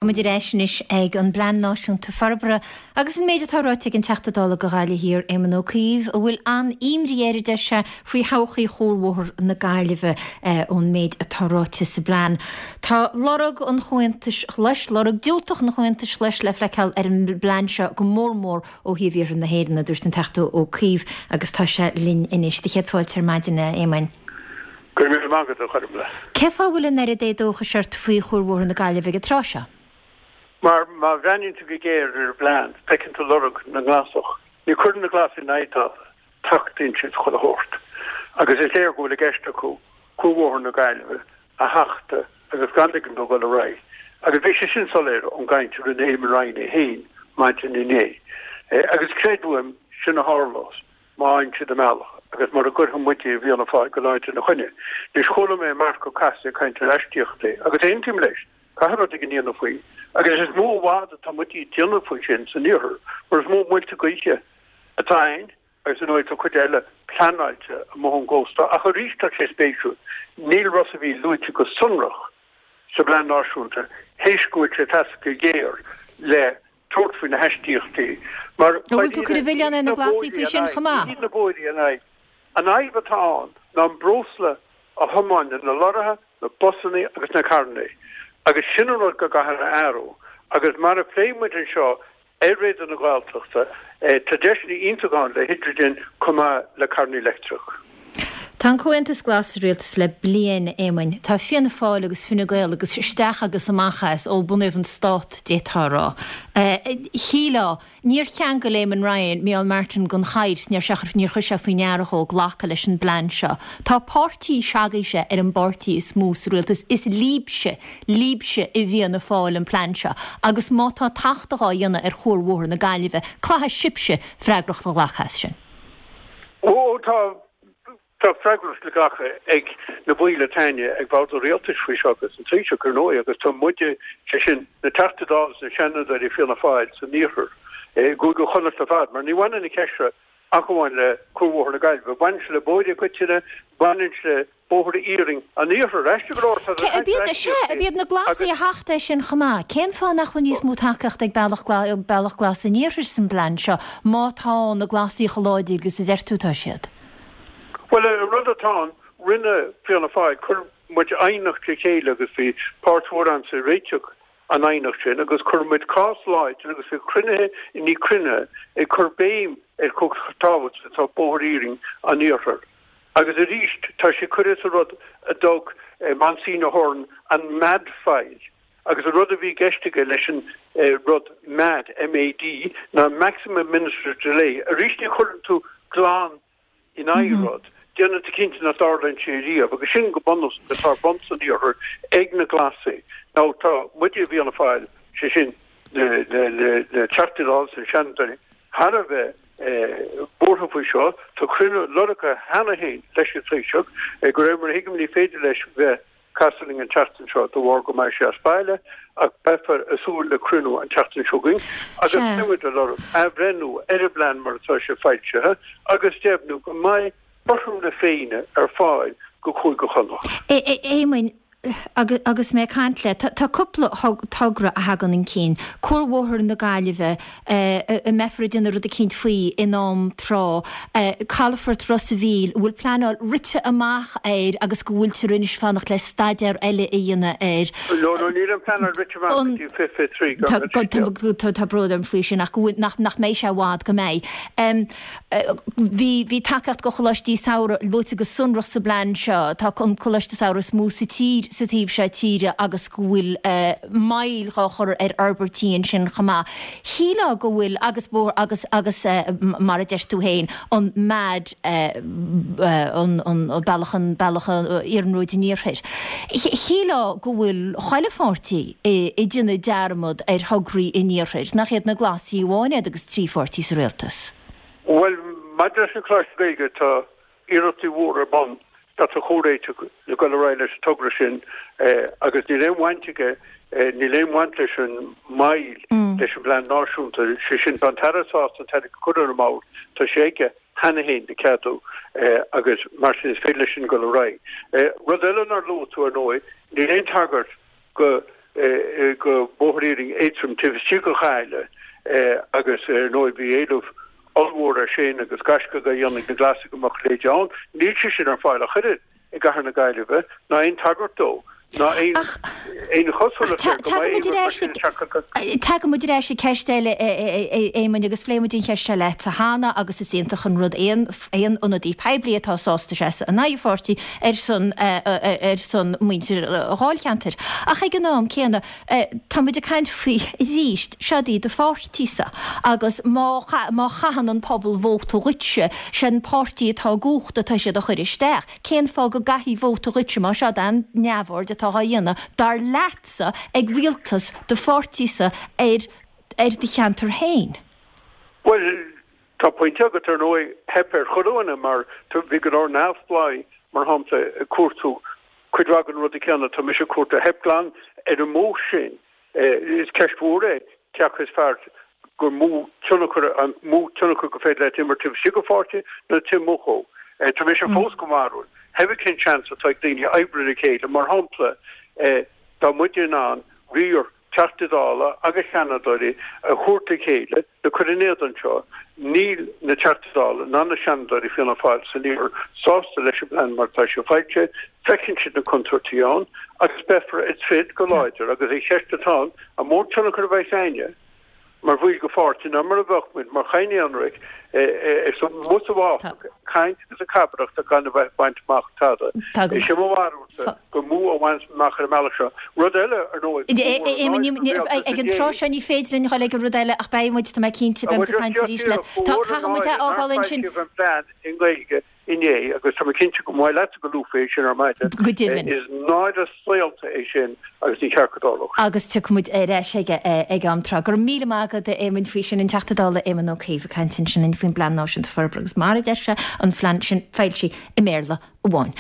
Táimid ar ais anois ag an bPlean Náisiúnta Forbartha agus an méid atá ráite ag an Teachta Dála do Ghaillimh Thiar, Éamon Ó Cuív, a bhfuil an-imní air, a deir sé, faoi thodhchaí Chuarbhóthar na Gaillimhe ón méid atá ráite sa bplean. Tá lorg an Chomhaontais Ghlais, lorg diúltach an Chomhaontais Ghlais le feiceáil ar an bplean seo go mór mór ó thaobh iarthar na hÉireann, a dúirt an Teachta Ó Cuív agus tá sé linn anois. Do chéad fáilte ar maidin, a Éamoin. Go raibh míle maith agat, a Ghormfhlaith. Cén fáth a bhfuil an oiread éadóchais ort faoi Chuarbhóthar na Gaillimhe ag an tráth seo? Mar má bhreathnaíonn tú go géar ar an bplean, feiceann tú lorg na nGlasach. Ní chuireann na Glasaigh in aghaidh tada, tachtaíonn siad chuile shórt. Agus is léir go bhfuil i gceist acu Cuarbhóthar na Gaillimhe a thachtadh agus gan ligean dó dul ar aghaidh. Agus bhí sé sin soiléir ón gcaint a rinne Eamon Ryan é féin maidin inné. Agus creid uaim, sin a tharlós. má fhaigheann siad a mbealach, agus mura gcuirfidh muide i bhFianna Fáil go láidir ina choinne. Anois, chuala mé Marc Ó Cathasaigh ag caint ar aistíochtaí, agus aontaím leis, caithfidh rud éigin a dhéanamh faoi, agus is mó i bhfad atá muide ag déanamh faoi sin san iarthar, mar is mó muilte gaoithe atá ann, agus ar ndóigh tá cuid eile pleanáilte amuigh ón gcósta, ach arís tá sé spéisiúil, níl Ros a' Mhíl luaite go sonrach sa bPlean Náisiúnta, théis go bhfuil sé ag teastáil go géar le tabhairt faoi na haistíochtaí mar An bhfuil tú ag cur an mhilleáin ar na Glasaigh faoi sin chomh maith? Ní hiad na bóithre an fhadhb. An fhadhb atá ann ná an breosla a thiomáineann na lorraithe, na busanna agus na carranna agus sin an rud go gcaithfear a athrú agus mar a phléigh muid anseo ar Raidió na Gaeltachta tá deiseanna iontacha ann le hidrigin chomh maith le carranna leictreach. Tá an Comhaontas Glas sa rialtas le bliain, a Éamoin. Tá Fianna Fáil agus Fine Gael agus isteach agus amach as ó bunaíodh an stát, d'fhéadfá a rá. Shílfeá, níor cheangail Eamon Ryan Micheál Martin den chairt, níor níor chuir sé faoi ndeara dhó glacadh leis an bplean seo. Tá páirtí s'agaibhse ar an bpáirtí is mó sa rialtas. Is libhse, libhse i bhFianna Fáil an plean seo agus má tá tachtadh á dhéanamh ar Chuarbhóthar na Gaillimhe, caithfidh sibhse freagracht a ghlacadh as sin. Ó, tá, tá freagracht le glacadh ag na baill atá againne ag bord an rialtais faoi seo agus an Taoiseach, ar ndóigh, agus tá muide, sé sin, na Teachtaí Dála is na Seanadóirí Fianna Fáil san iarthar, i gCúige Chonnacht ar fad, mar ní bhaineann an cheist seo ach amháin le Cuarbhóthar na Gaillimhe, baineann sé le bóithre i gcoitinne, baineann sé le bóithre iarainn an iarthair. Aisteach go leor, tá Cé, ab iad, sea, ab iad na Glasaigh a thacht é sin chomh maith? Cén fáth nach bhfuil níos mó tacaíochta ag Bealach Bealach Glas an Iarthair san bplean seo, má tá na Glasaigh chomh láidir agus a deir tú atá siad? Bhuel, an rud atá ann, rinne Fianna Fáil, chuir muid aighneacht le chéile agus bhí páirt mhór a'msa i réiteach an aighneacht sin agus chuir muid cás láidir agus bhí cruinnithe i ndiaidh cruinnithe ag cur béim ar chomh tábhachtach atá bóthar iarainn an iarthair. Agus arís, tá sé curtha sa rud a dtug Monsignor Ahern an mad file, agus an rud a bhí i gceist aige leis an rud mad, MAD, ná maximum administrative delay. Arís ní chuireann tú glan in aghaidh rud, déanann tú cinnte nach dtarlaíonn sé riamh, agus sin go bunúsach atá ar bun san iarthar ag na Glasaigh. Now tá muide i bhFianna Fáil, sé sin na Teachtaí Dála is na Seanadóirí, thar a bheith buartha faoi seo. Tá cruinniú lorgtha cheana féin leis an Taoiseach. De réir mar a thuigim ní féidir leis bheith casadh linn an tseachtain seo de bharr go mbeidh sé as baile ach beifear ag súil le cruinniú an tseachtain seo chugainn agus beidh muid ag lorg athbhreithniú ar an bplean mar atá sé foilsithe agus deimhniú go mbeidh cothrom na Féinne ar fáil go Cúige Chonnacht. A Éamoin, agus mé ag caint leat, tá cúpla togra a thagann chun cinn. Cuarbhóthar na Gaillimhe, a mbeifear ag déanamh rud eicínt faoi in am tráth, Calafort Ros a' Mhíl, a bhfuil pleanáil rite amach air agus go bhfuiltear anois fanacht le staidéar eile a dhéanamh air. No, no, níl an pleanáil rite amach go dtí 2023, gan leithscéal. Tá bród orm faoi sin, ach go bhfuil, nach mbeidh sé i bhfad go mbeidh. Bhí, bhí tacaíocht do choláistí samhraidh luaite go sonrach sa bplean seo. Tá an coláiste samhraidh is mó sa tír sa taobh seo tíre agus go bhfuil moill dhá chur ar fhorbairtí ansin chomh maith. Shílfeá go bhfuil, agus bóthar, agus, agus mar a deir tú féin, an MAD, an, an bealach, an bealach iarnróid an iarthair. Shílfeá go bhfuil chuile pháirtí ag déanamh dearmad ar thograí an iarthair, nach iad na Glasaigh amháin iad agus 3 pháirtí sa rialtas. Bhuel, maidir leis an Choláiste Gaeilge, tá iarrachtaí mhóra ar bun teacht ar chomhréiteach le dul ar aghaidh leis an togra sin agus níl aon bhaint aige, níl aon bhaint leis an moill leis an bplean náisiúnta, sé sin, tá an tAire sásta an t-airgead a chur ar an mbord, tá sé aige cheana féin le ceadú agus mar sin is féidir leis sin dul ar aghaidh. Rud eile nár luaigh tú, ar ndóigh, níl aon tagairt go. go bóthar iarainn éadtrom taobh istigh de Ghaillimh agus ar ndóigh bhí éileamh ollmhór air sin agus gaisce á dhéanamh ag na Glasaigh go mbeadh a leithéid ann. Níl sé sin ar fáil ach oiread i gcathair na Gaillimhe ná aon tagairt dó ná aon aon chosúlacht air go mbeidh aon rud mar sin isteach acu. Tagann muid ar ais ag ceist eile, a Éamoinn, agus phléigh muid an cheist seo leatsa cheana agus is iontach an rud aon aon ionadaí poiblí atá sásta seasamh in aghaidh a pháirtí ar son ar son muintir an dháilcheantair. Ach ag an am céanna, tá muid ag caint faoi arís, seod í do pháirtísa agus má má chaitheann an pobal vóta dhuitse, sé an páirtí atá i gcumhacht atá siad a chur isteach. Cén fáth go gcaithfí vóta dhuitse má seod an neamhaird atá á dhéanamh, dar leatsa, ag rialtas do pháirtísa ar ar do cheantar féin? Bhuel, Tá pointe agat, ar ndóigh, theip ar chuile dhuine mar bhí go leor neamhspleáigh, mar shampla, ag cuartú cuid mhaith den rud céanna atá mise ag cuartú. Theip glan ar an modh sin. Is ceist mhór é cé acu is fearr gur mó tionchar, an mó tionchar gur féidir leat imirt taobh istigh de pháirtí nó taobh amuigh dhó. Tá mise fós den bharúil, pé cén seans atá ag daoine oibriú le chéile, mar shampla, dá mbeadh muid in ann riar Teachtaí Dála agus Seanadóirí a thabhairt le chéile le cur in éadan seo. Níl na Teachtaí Dála ná na Seanadóirí Fianna Fáil san iarthar sásta leis an bplean mar atá sé foilsithe. Feiceann siad na contúirtí ann agus beifear ag troid go láidir agus an cheist atá ann, an mó tionchar a bheas againne mar bhaill de pháirtí ná mar a bheadh muid mar chadhain aonraic amuigh sa bhfásach ag caint agus ag cabaireacht ach gan a bheith ag baint amach tada. Is é mo bharúilsa gur mó a bhaineas amach ar an mbealach seo. Rud eile, ar ndóigh, ba mhór an náire don rialtas Ag an tráth seo ní féidir linn dhul ag an rud eile ach beidh muid, tá mé cinnte, beidh muid ag caint arís leat. Tá, caithfidh muid é a fhágáil ansin. Ba mhór an náire nár foilsíodh an plean i nGaeilge inné agus tá mé cinnte go mbeidh leatsa go luafaí é sin ar maidin. Go deimhin. Is náire saolta é sin agus ní ceart go dtarlódh sé. Agus tiocfaidh muid ar ais aige ag am tráth. Go raibh míle maith agat a Éamoinn faoi sin, an Teachta Dála Éamon Ó Cuív ag caint ansin linn faoin bPlean Náisiúnta Forbartha agus mar a deir sé, an phlean sin foilsithe i mBéarla amháin.